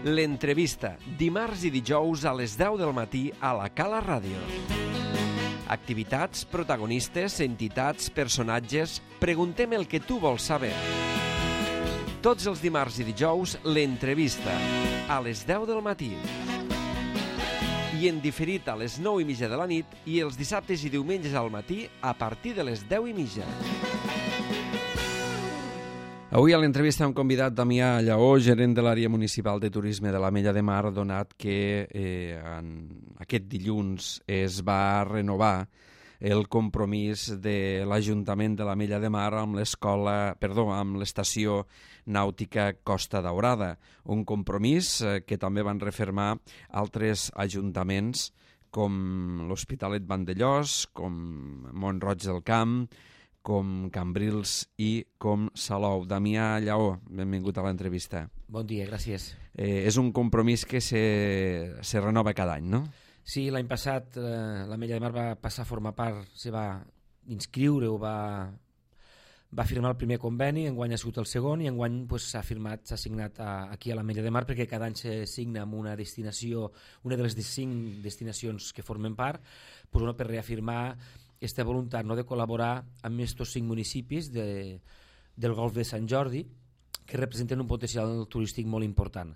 L'entrevista, dimarts i dijous a les 10 del matí a la Cala Ràdio. Activitats, protagonistes, entitats, personatges... Preguntem el que tu vols saber. Tots els dimarts i dijous, l'entrevista, a les 10 del matí. I en diferit a les 9:30 de la nit i els dissabtes i diumenges al matí a partir de les 10:30. Avui a l'entrevista hem convidat Damià Lleó, gerent de l'àrea municipal de turisme de l'Ametlla de Mar, donat que aquest dilluns es va renovar el compromís de l'Ajuntament de l'Ametlla de Mar amb l'estació nàutica Costa Daurada. Un compromís que també van refermar altres ajuntaments com l'Hospitalet Vandellòs, com Mont-roig del Camp, com Cambrils i com Salou. Damià Lleó, benvingut a l'entrevista. Bon dia, gràcies. És un compromís que se renova cada any, no? Sí, l'any passat l'Ametlla de Mar va passar a formar part, se va inscriure o va firmar el primer conveni, enguany ha sigut el segon i enguany s'ha signat aquí a l'Ametlla de Mar perquè cada any se signa amb una destinació, una de les 5 destinacions que formen part, per reafirmar aquesta voluntat de col·laborar amb aquests 5 municipis del Golf de Sant Jordi que representen un potencial turístic molt important.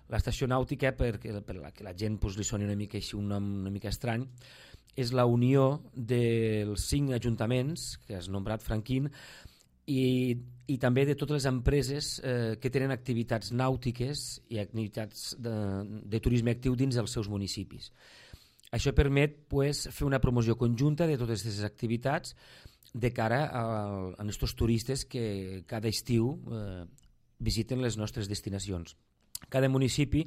L'estació nàutica, per la gent li soni una mica així un nom una mica estrany, és la unió dels 5 ajuntaments que has nombrat, Franquín, i també de totes les empreses que tenen activitats nàutiques i activitats de turisme actiu dins dels seus municipis. Això permet fer una promoció conjunta de totes aquestes activitats de cara a aquests turistes que cada estiu visiten les nostres destinacions. Cada municipi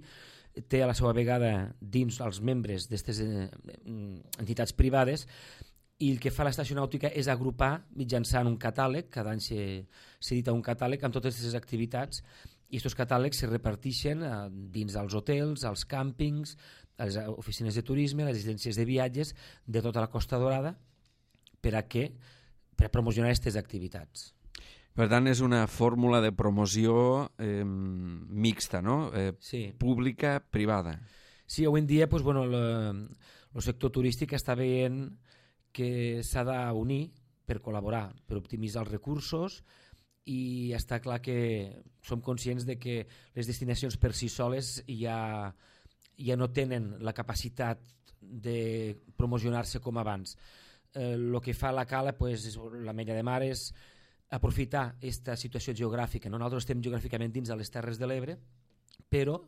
té a la seva vegada dins els membres d'aquestes entitats privades i el que fa l'estació nàutica és agrupar mitjançant un catàleg, cada any s'edita un catàleg amb totes aquestes activitats i aquests catàlegs se reparteixen dins dels hotels, als càmpings, a les oficines de turisme, a les agències de viatges de tota la Costa Daurada per a promocionar aquestes activitats. Per tant, és una fórmula de promoció mixta, no? Sí. Pública, privada. Sí, avui en dia el sector turístic està veient que s'ha d'unir per col·laborar, per optimitzar els recursos i està clar que som conscients de que les destinacions per si soles ja no tenen la capacitat de promocionar-se com abans. El que fa la Cala, l'Ametlla de Mar, és aprofitar aquesta situació geogràfica. Nosaltres estem geogràficament dins de les Terres de l'Ebre, però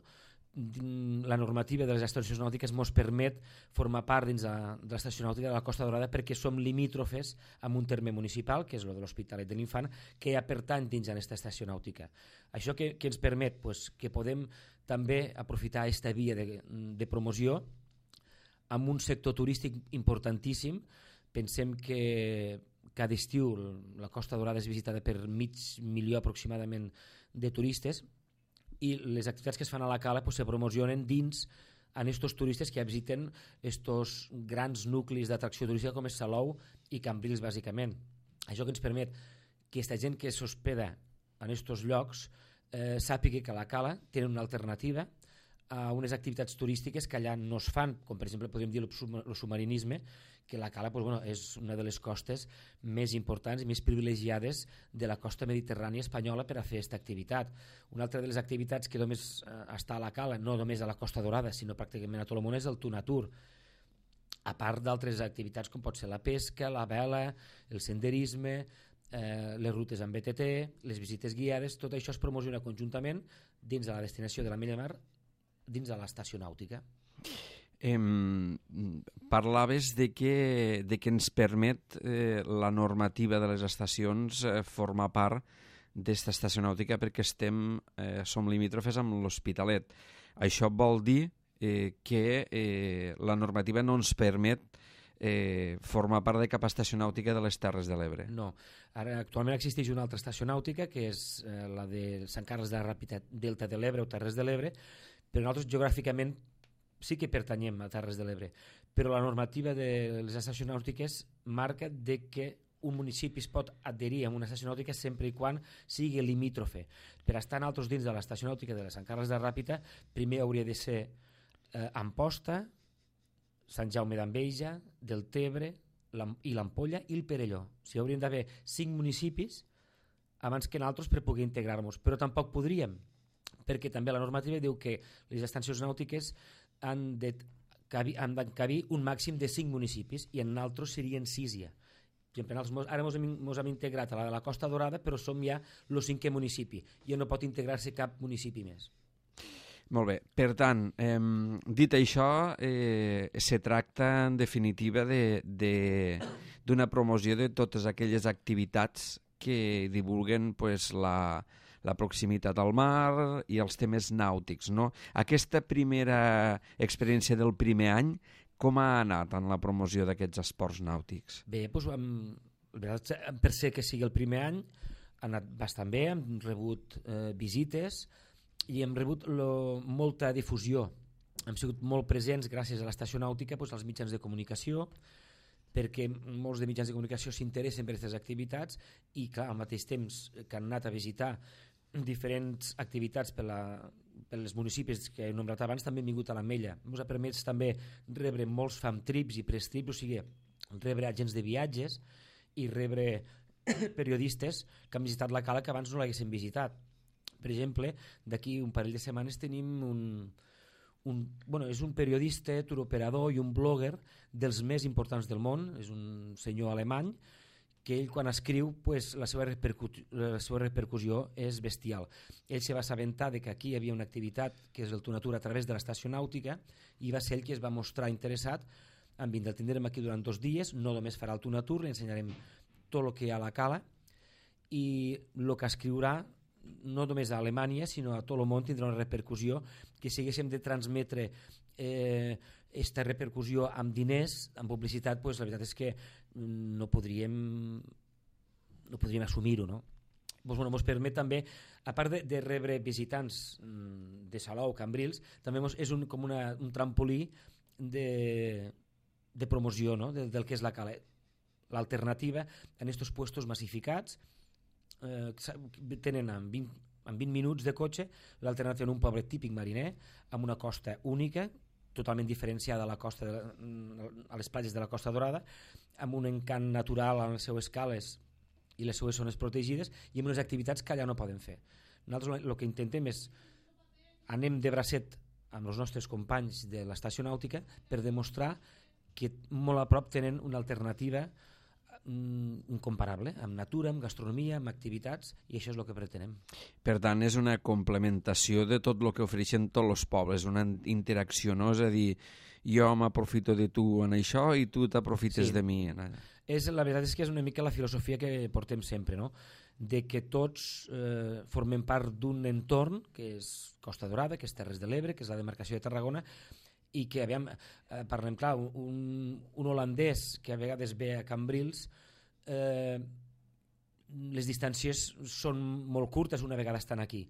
la normativa de les estacions nàutiques ens permet formar part dins de l'estació nàutica de la Costa Daurada perquè som limítrofes amb un terme municipal, que és el de l'Hospitalet de l'Infant, que ja pertany dins d'aquesta estació nàutica. Això que ens permet que podem també aprofitar aquesta via de promoció amb un sector turístic importantíssim. Pensem que cada estiu la Costa Daurada és visitada per 500.000 aproximadament de turistes i les activitats que es fan a la Cala se promocionen dins en aquests turistes que visiten aquests grans nuclis d'atracció turística com és Salou i Cambrils bàsicament. Això que ens permet que aquesta gent que s'hospeda en aquests llocs sàpiga que a la Cala tenen una alternativa a unes activitats turístiques que allà no es fan, com per exemple podríem dir el submarinisme, que la Cala és una de les costes més importants i més privilegiades de la costa mediterrània espanyola per a fer aquesta activitat. Una altra de les activitats que només està a la Cala, no només a la Costa Daurada, sinó pràcticament a tot el món, és el Tunatur, a part d'altres activitats com pot ser la pesca, la vela, el senderisme, les rutes amb BTT, les visites guiades. Tot això es promociona conjuntament dins de la destinació de l'Ametlla de Mar, dins de l'estació nàutica. Parlaves de que ens permet la normativa de les estacions formar part d'esta estació nàutica perquè som limítrofes amb l'Hospitalet. Això vol dir que la normativa no ens permet formar part de cap estació nàutica de les Terres de l'Ebre. No. Ara, actualment existeix una altra estació nàutica que és la de Sant Carles de la Ràpita, Delta de l'Ebre o Terres de l'Ebre, però nosaltres geogràficament sí que pertanyem a Terres de l'Ebre, però la normativa de les estacions nàutiques marca que un municipi es pot adherir a una estació nàutica sempre i quan sigui limítrofe. Per estar nosaltres dins de l'estació nàutica de Sant Carles de Ràpita, primer hauria de ser Amposta, Sant Jaume d'Enveja, Deltebre i l'Ampolla i el Perelló. O sigui, hauríem d'haver 5 municipis abans que nosaltres per poder integrar-nos, però tampoc podríem, perquè també la normativa diu que les estacions nàutiques han de cabir un màxim de 5 municipis i en nosaltres serien 6 ja. Ara ens hem integrat a la de la Costa Dorada, però som ja el 5è municipi. Ja no pot integrar-se cap municipi més. Molt bé. Per tant, dit això, se tracta en definitiva d'una promoció de totes aquelles activitats que divulguen la proximitat al mar i els temes nàutics, no? Aquesta primera experiència del primer any, com ha anat en la promoció d'aquests esports nàutics? Bé, per ser que sigui el primer any, ha anat bastant bé, hem rebut visites i hem rebut molta difusió. Hem sigut molt presents gràcies a l'estació nàutica, als mitjans de comunicació, perquè molts de mitjans de comunicació s'interessen per aquestes activitats i, clar, al mateix temps que han anat a visitar diferents activitats per als municipis que he nombrat abans, també hem vingut a l'Ametlla. Ens ha permès també rebre molts famtrips i prestrips, o sigui, rebre agents de viatges i rebre periodistes que han visitat la cala que abans no l'haguessin visitat. Per exemple, d'aquí un parell de setmanes tenim és un periodista, turoperador i un blogger dels més importants del món, és un senyor alemany, que ell quan escriu la seva repercussió és bestial. Ell se va assabentar que aquí hi havia una activitat que és el Tunatur a través de l'estació nàutica i va ser ell qui es va mostrar interessat en vindre. El tindrem aquí durant 2 dies, no només farà el Tunatur, li ensenyarem tot el que hi ha a la cala i el que escriurà no només a Alemanya sinó a tot el món tindrà una repercussió que si haguéssim de transmetre aquesta repercussió amb diners, amb publicitat, la veritat és que no podríem assumir-ho, no? Ens permet també, a part de rebre visitants de Salou, Cambrils, també és com un trampolí de promoció, no? del que és la cala. L'alternativa en aquests puestos massificats tenen en 20 minuts de cotxe l'alternativa en un poble típic mariner amb una costa única, totalment diferenciada a la costa a les platges de la Costa Dorada, amb un encant natural a les seues cales i les seues zones protegides i amb unes activitats que allà no poden fer. Nosaltres el que intentem és anem de bracet amb els nostres companys de l'estació nàutica per demostrar que molt a prop tenen una alternativa incomparable, amb natura, amb gastronomia, amb activitats, i això és el que pretenem. Per tant, és una complementació de tot el que ofereixen tots els pobles, una interacció, no? És a dir, jo m'aprofito de tu en això i tu t'aprofites de mi en allà. La veritat és que és una mica la filosofia que portem sempre, no? De que tots formem part d'un entorn que és Costa Dorada, que és Terres de l'Ebre, que és la demarcació de Tarragona, i que, parlem clar, un holandès que a vegades ve a Cambrils, les distàncies són molt curtes una vegada estan aquí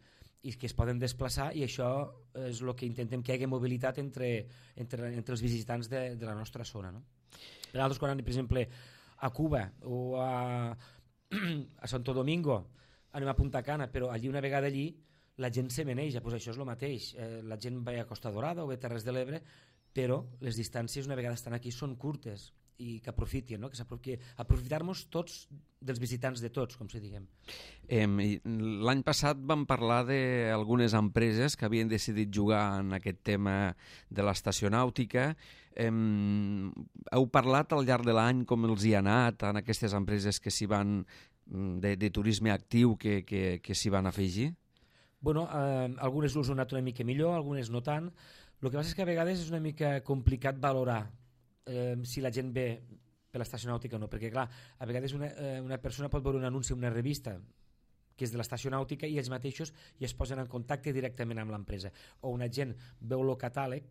i que es poden desplaçar, i això és el que intentem, que hi hagi mobilitat entre els visitants de la nostra zona, no? Per altres, quan anem, per exemple, a Cuba o a Santo Domingo, anem a Punta Cana, però una vegada allí la gent se meneja, això és el mateix, la gent va a Costa Dorada o a Terres de l'Ebre, però les distàncies una vegada estan aquí són curtes i que aprofitin, no? Que aprofitar-nos tots dels visitants de tots, com si diguem. L'any passat vam parlar d'algunes empreses que havien decidit jugar en aquest tema de l'estació nàutica. Heu parlat al llarg de l'any com els hi ha anat en aquestes empreses que s'hi van de turisme actiu que s'hi van afegir? Algunes us han anat una mica millor, algunes no tant. El que passa és que a vegades és una mica complicat valorar si la gent ve per l'estació nàutica o no, perquè clar, a vegades una persona pot veure un anunci en una revista que és de l'estació nàutica i ells mateixos ja es posen en contacte directament amb l'empresa, o una gent veu el catàleg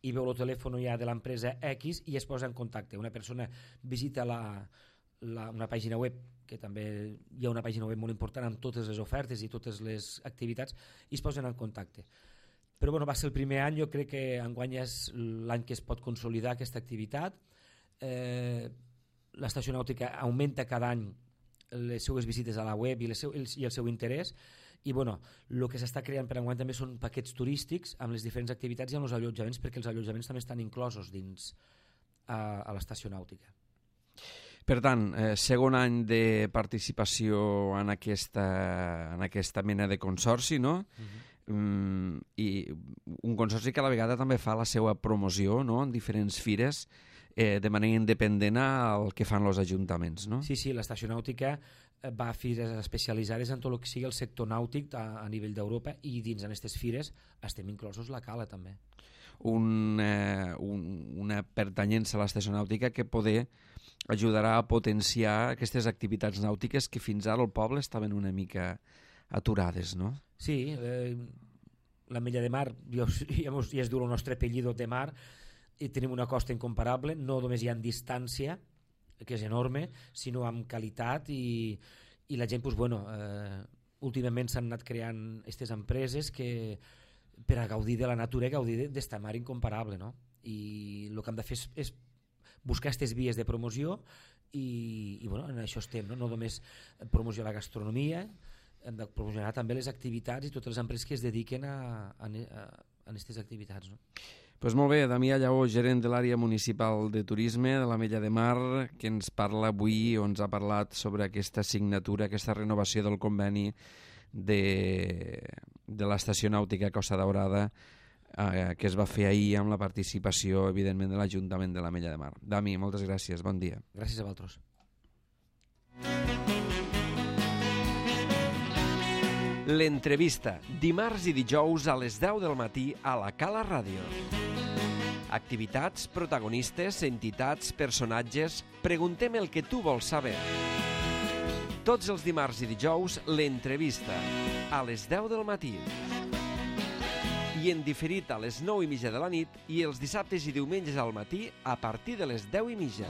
i veu el telèfon ja de l'empresa X i es posa en contacte. Una persona visita una pàgina web, que també hi ha una pàgina web molt important amb totes les ofertes i totes les activitats, i es posen en contacte. Però va ser el primer any, jo crec que enguany és l'any que es pot consolidar aquesta activitat. l'estació nàutica augmenta cada any les seues visites a la web i el seu interès, i bueno, el que s'està creant per enguany també són paquets turístics amb les diferents activitats i amb els allotjaments, perquè els allotjaments també estan inclosos dins a l'estació nàutica. Per tant, segon any de participació en aquesta mena de consorci, no? I un consorci que a la vegada també fa la seva promoció, no?, en diferents fires, de manera independent al que fan els ajuntaments, no? Sí, l'estació nàutica va a fires especialitzades en tot el que sigui el sector nàutic a nivell d'Europa, i dins d'aquestes fires estem inclosos la Cala també. Una pertanyença a l'estació nàutica que poder ajudarà a potenciar aquestes activitats nàutiques que fins ara al poble estaven una mica aturades, no? Sí, l'Ametlla de Mar ja es diu el nostre apellido de mar, i tenim una costa incomparable, no només hi ha en distància, que és enorme, sinó amb qualitat, i la gent, últimament s'han anat creant aquestes empreses que per a gaudir de la natura i gaudir d'esta mar incomparable, no? I el que hem de fer és buscar aquestes vies de promoció, i en això estem, no només promoció de la gastronomia, hem de promocionar també les activitats i totes les empreses que es dediquen a aquestes activitats, no? Doncs molt bé, Damià Lleó, gerent de l'àrea municipal de turisme de l'Ametlla de Mar, que ens parla avui, o ens ha parlat sobre aquesta signatura, aquesta renovació del conveni de l'estació nàutica Costa Daurada, que es va fer ahir amb la participació, evidentment, de l'Ajuntament de l'Ametlla de Mar. Dami, moltes gràcies, bon dia. Gràcies a vosaltres. L'entrevista, dimarts i dijous a les 10 del matí a la Cala Ràdio. Activitats, protagonistes, entitats, personatges... Preguntem el que tu vols saber. Tots els dimarts i dijous, l'entrevista, a les 10 del matí. I en diferit a les 9:30 de la nit, i els dissabtes i diumenges al matí a partir de les 10:30.